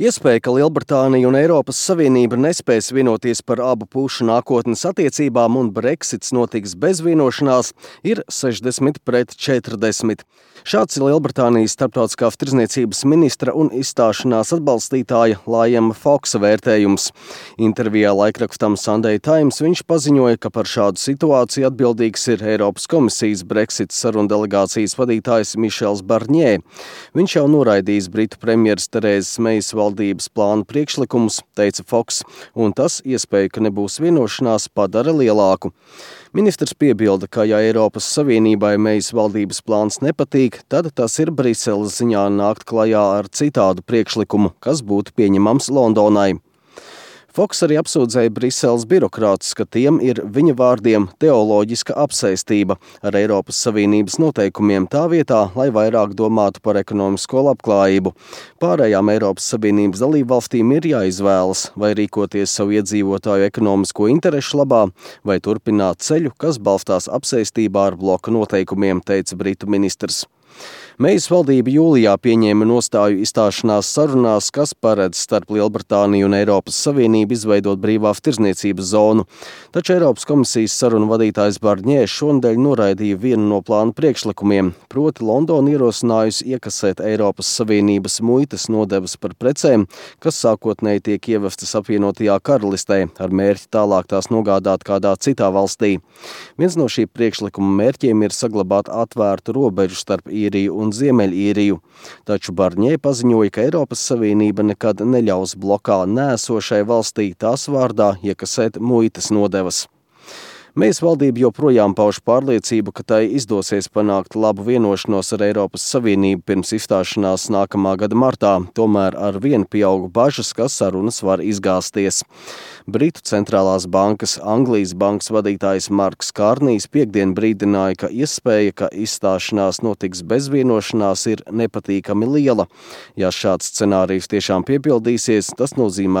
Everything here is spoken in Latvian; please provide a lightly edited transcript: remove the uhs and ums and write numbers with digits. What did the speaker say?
Iespēja, ka Lielbritānija un Eiropas Savienība nespēs vienoties par abu pušu nākotnes attiecībām un Brexits notiks bez vienošanās, ir 60-40. Šāds ir Lielbritānijas starptautiskās tirdzniecības ministra un izstāšanās atbalstītāja Liama Foksa vērtējums. Intervijā laikrakstam Sunday Times viņš paziņoja, ka par šādu situāciju atbildīgs ir Eiropas komisijas Brexit sarunu delegācijas vadītājs Mišels Barņē. Viņš jau noraidījis Britu premjeras Terēzes Mejas valdības plānu priekšlikumus, teica Foks, un tas iespēju, ka nebūs vienošanās, padara lielāku. Ministrs piebilda, ka ja Eiropas Savienībai Mejas valdības plāns nepatīk, tad tas ir Briseles ziņā nākt klajā ar citādu priekšlikumu, kas būtu pieņemams Londonai. Foks arī apsūdzēja Briseles birokrātus, ka tiem ir viņa vārdiem teoloģiska apsēstība ar Eiropas Savienības noteikumiem tā vietā, lai vairāk domātu par ekonomisko labklājību. Pārējām Eiropas Savienības dalībvalstīm ir jāizvēlas, vai rīkoties savu iedzīvotāju ekonomisko interešu labā, vai turpināt ceļu, kas balstās apsēstībā ar bloka noteikumiem, teica Britu ministrs. Mejas valdība jūlijā pieņēma nostāju izstāšanās sarunās, kas paredz starp Lielbritāniju un Eiropas Savienību izveidot brīvās tirdzniecības zonu. Taču Eiropas komisijas sarunu vadītājs Barņē šonedēļ noraidīja vienu no plānu priekšlikumiem, proti Londona ierosinājusi iekasēt Eiropas Savienības muitas nodevas par precēm, kas sākotnēji tiek ievestas apvienotajā karalistē, ar mērķi tālāk tās nogādāt kādā citā valstī. Viens no šī priekšlikuma mērķiem ir saglabāt atvērtu robežu starp Īriju un Ziemeļīriju, taču Barņē paziņoja, ka Eiropas Savienība nekad neļaus blokā nēsošai valstī tās vārdā iekasēt muitas nodevas. Mejas valdība joprojām pauž pārliecību, ka tai izdosies panākt labu vienošanos ar Eiropas Savienību pirms izstāšanās nākamā gada martā, tomēr ar vienu pieaugu bažas, ka sarunas var izgāzties. Britu centrālās bankas Anglijas bankas vadītājs Marks Kārnijs piektdien brīdināja, ka iespēja, ka izstāšanās notiks bez vienošanās, ir nepatīkami liela. Ja šāds scenārijs tiešām piepildīsies, tas nozīmētu